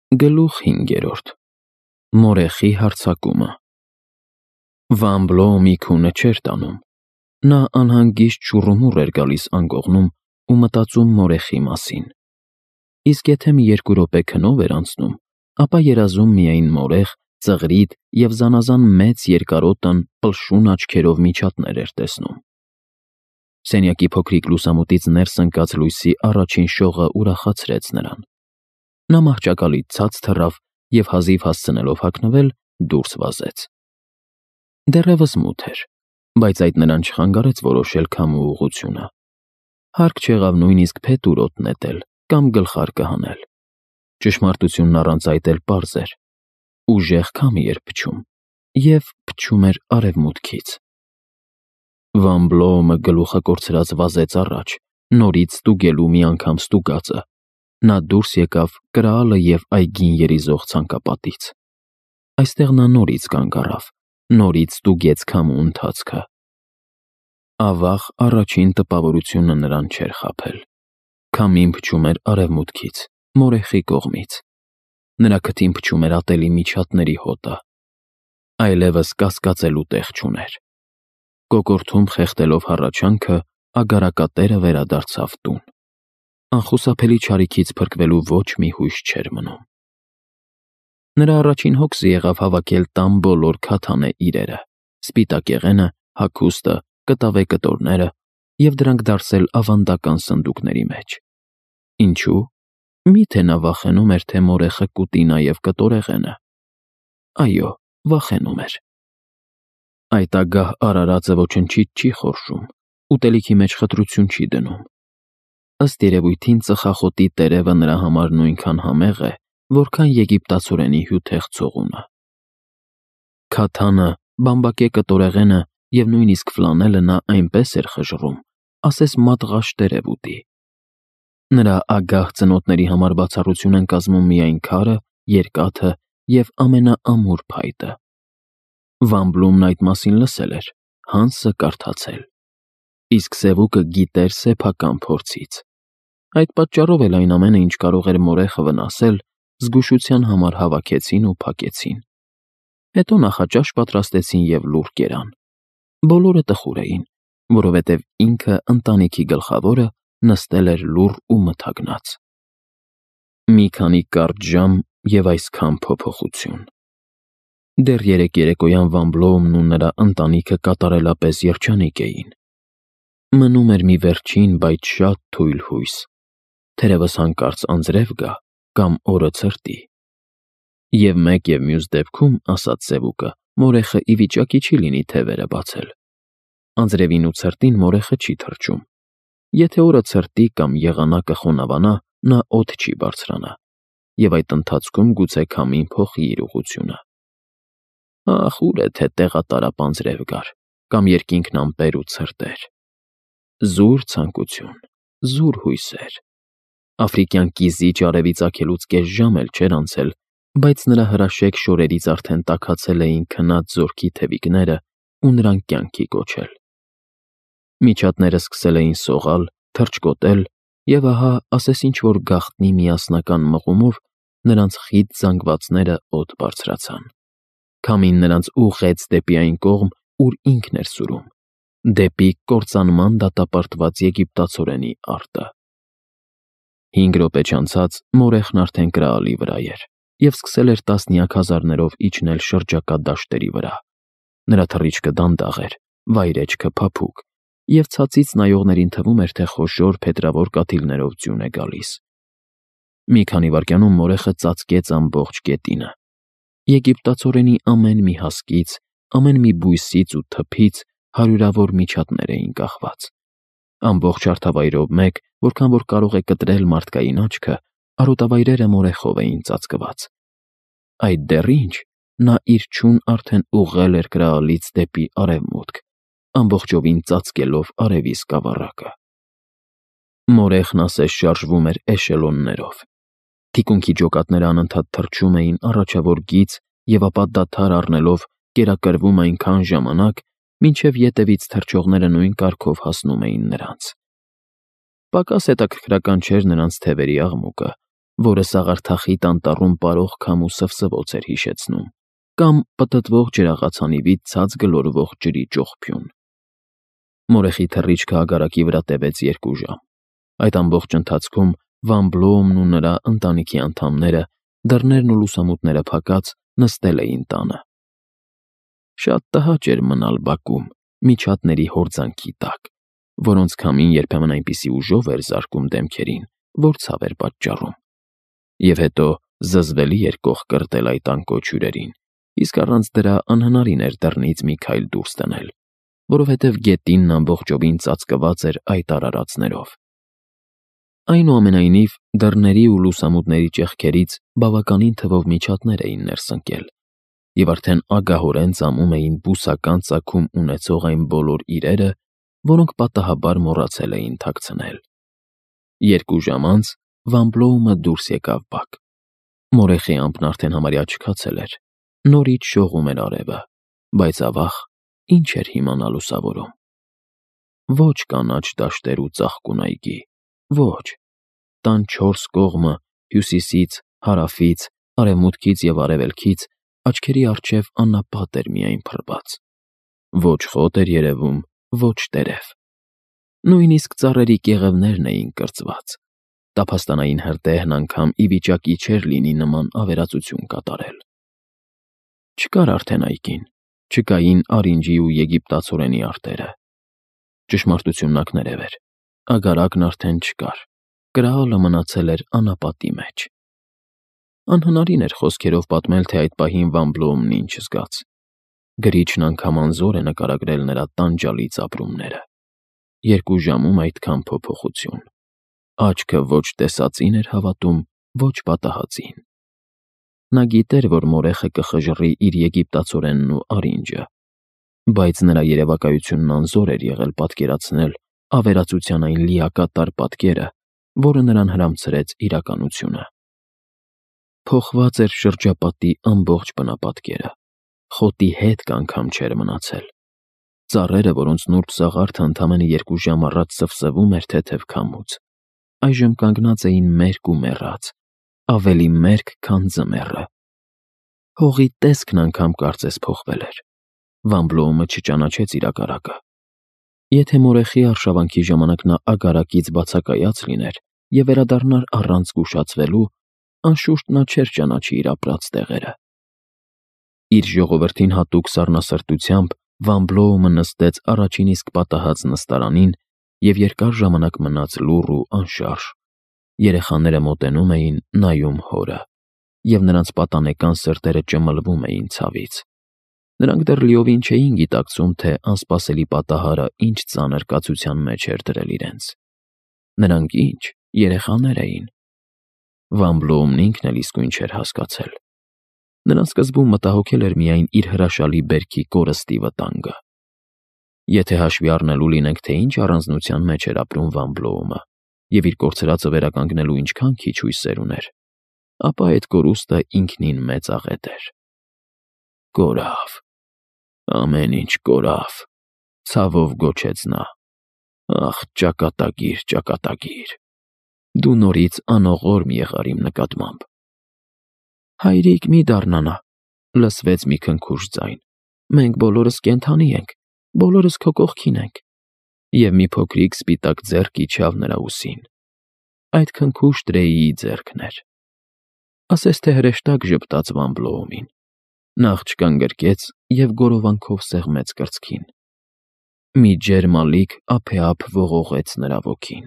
Գլուխ 5. Մորեխի հարձակումը։ Վան Բլոումի քունը չէր տանում։ Նա անհանգիստ շուռումուռ էր գալիս անկողնում ու մտածում մորեխի մասին։ Իսկ եթե մի 2 րոպե քնով էր անցնում, ապա երազում միայն մորեխ, ծղրիդ և զանազան մեծ երկարոտն պլշուն աչքերով միջատներ էր տեսնում։ Սենյակի փոքրիկ լուսամուտից ներս ընկած լույսի առաջին շողը ուրախացրեց նրան։ Նա մահճակալից ցած թռավ և հազիվ հասցնելով հագնվել, դուրս վազեց։ Դեռևս մութ էր, բայց այդ նրան չխանգարեց որոշել քամու ուղղությունը։ Հարկ չեղավ նույնիսկ փետուրոտ նետել կամ գլխարկը հանել։ Ճշմարտությունն առանց այդ էլ պարզ էր. ուժեղ քամի էր փչում, և փչում էր արևմուտքից։ Վան Բլոումը գլուխը կորցրած վազեց առաջ, նորից ստուգելու մի անգամ ստուգածը։ Նա դուրս եկավ կրալը և այգին երիզող ցանկապատից։ Այստեղ նա նորից կանգ առավ, նորից ստուգեց քամու ընթացքը։ Ավաղ առաջին տպավորությունը նրան չէր խաբել։ Քամին փչում էր արևմուտքից, մորեխի կողմից։ Նրա քթին փչում էր ատելի միջատների հոտը։ Այլևս կասկածելու տեղ չուներ։ Կոկորդում խեղդելով հառաչանքը, ագարակատերը վերադարձավ տուն։ Անխուսափելի չարիքից փրկվելու ոչ մի հույս չէր մնում։ Նրա առաջին հոգսը եղավ հավաքել տան բոլոր քաթանե իրերը, սպիտակ եղենը, հագուստը, կտավե կտորները և դրանք դարսել ավանդական սնդուկների մեջ։ Ինչու՞։ Միթե նա վախենում էր, թե մորեխը կուտի նաև կտորեղենը։ Այո, վախենում էր։ Այդ ագահ արարածը ոչնչից չի խորշում, ուտելիքի մեջ խտրություն չի դնում։ Ըստ երևույթին ծխախոտի տերևը նրա համար նույնքան համեղ է, որքան եգիպտացորենի հյութեղ ցողունը։ Քաթանը, բամբակե կտորեղենը և նույնիսկ ֆլանելը նա այնպես էր խժռում, ասես մատղաշ տերև ուտի։ Նրա ագահ ծնոտների համար բացառություն են կազմում միայն քարը, երկաթը և ամենաամուր փայտը։ Վան Բլոումն այդ մասին լսել էր, Հանսը կարդացել։ Իսկ Սևուկը գիտեր սեփական փորձից։ Այդ պատճառով էլ այն ամենը, ինչ կարող էր մորեխը վնասել, զգուշության համար հավաքեցին ու փակեցին։ Հետո նախաճաշ պատրաստեցին և լուռ կերան։ Բոլորը տխուր էին, որովհետև ինքը ընտանիքի գլխավորը նստել էր լուռ ու մթագնած։ Մի քանի կարճ ժամ և այսքան փոփոխություն։ Դեռ երեկոյան Վան Բլոումն ու նրա ընտանիքը կատարելապես երջանիկ էին։ Մնում էր մի վերջին, բայց շատ թույլ հույս։ Թերևս հանկարծ անձրև գա կամ օրը ցրտի։ Եվ մեկ և մյուս դեպքում, ասաց Սևուկը, մորեխը ի վիճակի չի լինի թևերը բացել։ Անձրևին ու ցրտին մորեխը չի թռչում։ Եթե օրը ցրտի կամ եղանակը խոնավանա, նա օդ չի բարձրանա, և այդ ընթացքում գուցե քամին փոխի իր ուղղությունը։ Ախ, ուր է թե տեղատարապ անձրև գար, կամ երկինքն ամպեր ու ցրտեր։ Զուր ցանկություն, զուր հույսեր։ Աֆրիկյան կիզիչ արևի ծագելուց կես ժամ էլ չէր անցել, բայց նրա հրաշեկ շորերից արդեն տաքացել էին քնած զորքի թևիկները ու նրան կյանքի կոչել։ Միջատները սկսել էին սողալ, թռչկոտել, և ահա, ասես ինչ-որ գաղտնի միասնական մղումով, նրանց խիտ զանգվածները օդ բարձրացան։ Քամին նրանց ուղղեց դեպի այն կողմ, ուր ինքն էր սուրում, դեպի կործանման դատապարտված եգիպտացորենի արտը։ 5 րոպե չանցած մորեխն արդեն կրալի վրա էր և սկսել էր տասնյակ հազարներով իջնել շրջակա դաշտերի վրա։ Նրա թռիչքը դանդաղ էր, վայրէջքը փափուկ, և ցածից նայողներին թվում էր, թե խոշոր փետրավոր կաթիլներով ձյուն է գալիս։ Մի քանի վայրկյանում մորեխը ծածկեց ամբողջ գետինը։ Եգիպտացորենի ամեն մի հասկից, ամեն մի բույսից ու թփից հարյուրավոր միջատներ էին կախված։ Ամբողջ հարթավայրով մեկ, որքան որ կարող է կտրել մարդկային աչքը, արոտավայրերը մորեխով էին ծածկված։ Այդ դեռ ինչ, նա իր չուն արդեն ուղղել էր կրալից դեպի արևմուտք, ամբողջովին ծածկելով արևի սկավառակը։ Մորեխն ասես շարժվում էր էշելոններով։ Թիկունքի ջոկատները անընդհատ թռչում էին առաջավոր գիծ և ապա դադար առնելով կերակրվում այնքան ժամանակ, մինչև ետևից թռչողները նույն կարգով հասնում էին նրանց։ Պակաս հետաքրքրական չէր նրանց թևերի աղմուկը, որը սաղարթախիտ անտառում պարող քամու սվսվոց էր հիշեցնում, կամ պտտվող ջրաղացանիվից ցած գլորվող ջրի ճողփյուն։ Մորեխի թռիչքը ագարակի վրա տևեց 2 ժամ։ Այդ ամբողջ ընթացքում Վան Բլոումն ու նրա ընտանիքի անդամները, դռներն ու լուսամուտները փակած, նստել էին տանը։ Շատ տհաճ էր մնալ բակում, միջատների հորձանքի տակ, որոնց քամին երբեմն այնպիսի ուժով էր զարկում դեմքերին, որ ցավ էր պատճառում։ Եվ հետո զզվելի էր կող կրտել այդ անկոչ հյուրերին, իսկ առանց դրա անհնարին էր դռնից մի քայլ դուրս տնել, որովհետև գետինն ամբողջովին ծածկված էր այդ արարածներով։ Այնուամենայնիվ, դռների ու լուսամուտների ճեղքերից բավականին թվով միջատներ էին ներս ընկել, և արդեն ագահորեն ծամում էին բուսական ծագում ունեցող այն բոլոր իրերը, որոնք պատահաբար մոռացել էին թաքցնել։ 2 ժամ անց Վան Բլոումը դուրս եկավ բակ։ Մորեխի ամպն արդեն համարյա չքացել էր, նորից շողում էր արևը, բայց ավաղ ինչ էր հիմա նա լուսավորում։ Ոչ կանաչ դաշտեր ու ծաղկուն այգի, ոչ, տան 4 կողմը հյուսիսից, հարավից, արևմուտքից և արևելքից աչքերի առջև անապատ էր միայն փռված։ Ոչ խոտ էր երևում, ոչ տերև։ Նույնիսկ ծառերի կեղևներն էին կրծված։ Տափաստանային հրդեհն անգամ ի վիճակի չէր լինի նման ավերածություն կատարել։ Չկար արդեն այգին, չկային արինջի ու եգիպտացորենի արտերը։ Ճշմարտությունն ակներև էր, ագարակն արդեն չկար, կրալը մնացել էր անապատի մեջ։ Անհնարին էր խոսքերով պատմել, թե այդ պահին Վան Բլոումն ինչ զգաց։ Գրիչն անգամ անզոր է նկարագրել նրա տանջալից ապրումները։ 2 ժամում այդքան փոփոխություն։ Աչքը ոչ տեսածին էր հավատում, ոչ պատահածին։ Նա գիտեր, որ մորեխը կխժռի իր եգիպտացորենն ու արինջը, բայց նրա երևակայությունն անզոր էր եղել պատկերացնել ավերածության այն լիակատար պատկերը, որը նրան հրամցրեց իրականությունը։ Փոխված էր շրջապատի ամբողջ բնապատկերը, խոտի հետք անգամ չէր մնացել։ Ծառերը, որոնց նուրբ սաղարթը ընդամենը 2 ժամ առաջ սվսվում էր թեթև քամուց, այժմ կանգնած էին մերկ ու մեռած, ավելի մերկ, քան ձմեռը։ Հողի տեսքն անգամ կարծես փոխվել էր։ Վան Բլոումը չճանաչեց իր ագարակը։ Եթե մորեխի արշավանքի ժամանակ նա ագարակից բացակայած լիներ և վերադառնար առանց զգուշացվելու, անշուշտ նա չէր ճանաչի իր ապրած տեղերը։ Իր ժողովրդին հատուկ սառնասրտությամբ Վան Բլոումը նստեց առաջին իսկ պատահած նստարանին և երկար ժամանակ մնաց լուռ ու անշարժ։ Երեխաները մոտենում էին, նայում հորը, և նրանց պատանեկան սրտերը ճմլվում էին ցավից։ Նրանք դեռ լիովին չէին գիտակցում, թե անսպասելի պատահարը ինչ ծանր կացության մեջ էր դրել իրենց։ Նրանք ինչ, երեխաներ էին։ Վան Բլոումն ինքն էլ իսկույն չէր հասկացել։ Նրան սկզբում մտահոգել էր միայն իր հրաշալի բերքի կորստի վտանգը։ Եթե հաշվի առնելու լինենք, թե ինչ առանձնության մեջ էր ապրում Վան Բլոումը և իր կորցրածը վերականգնելու ինչքան քիչ հույսեր ուներ, ապա այդ կորուստը ինքնին մեծ աղետ էր։ Կորավ, ամեն ինչ կորավ, ցավով գոչեց նա։ Ախ, ճակատագիր, ճակատագիր, դու նորից անողորմ եղար իմ նկատմամբ։ Հայրիկ, մի դառնանա, լսվեց մի քնքուշ ձայն։ Մենք բոլորս կենդանի ենք, բոլորս քո կողքին ենք։ Եվ մի փոքրիկ սպիտակ ձեռք իջավ նրա ուսին։ Այդ քնքուշ Տրեյիի ձեռքն էր։ Ասես թե հրեշտակ ժպտաց Վան Բլոումին։ Նա աղջկան գրկեց և գորովանքով սեղմեց կրծքին։ Մի ջերմ ալիք ափեափ ողողեց նրա ոգին։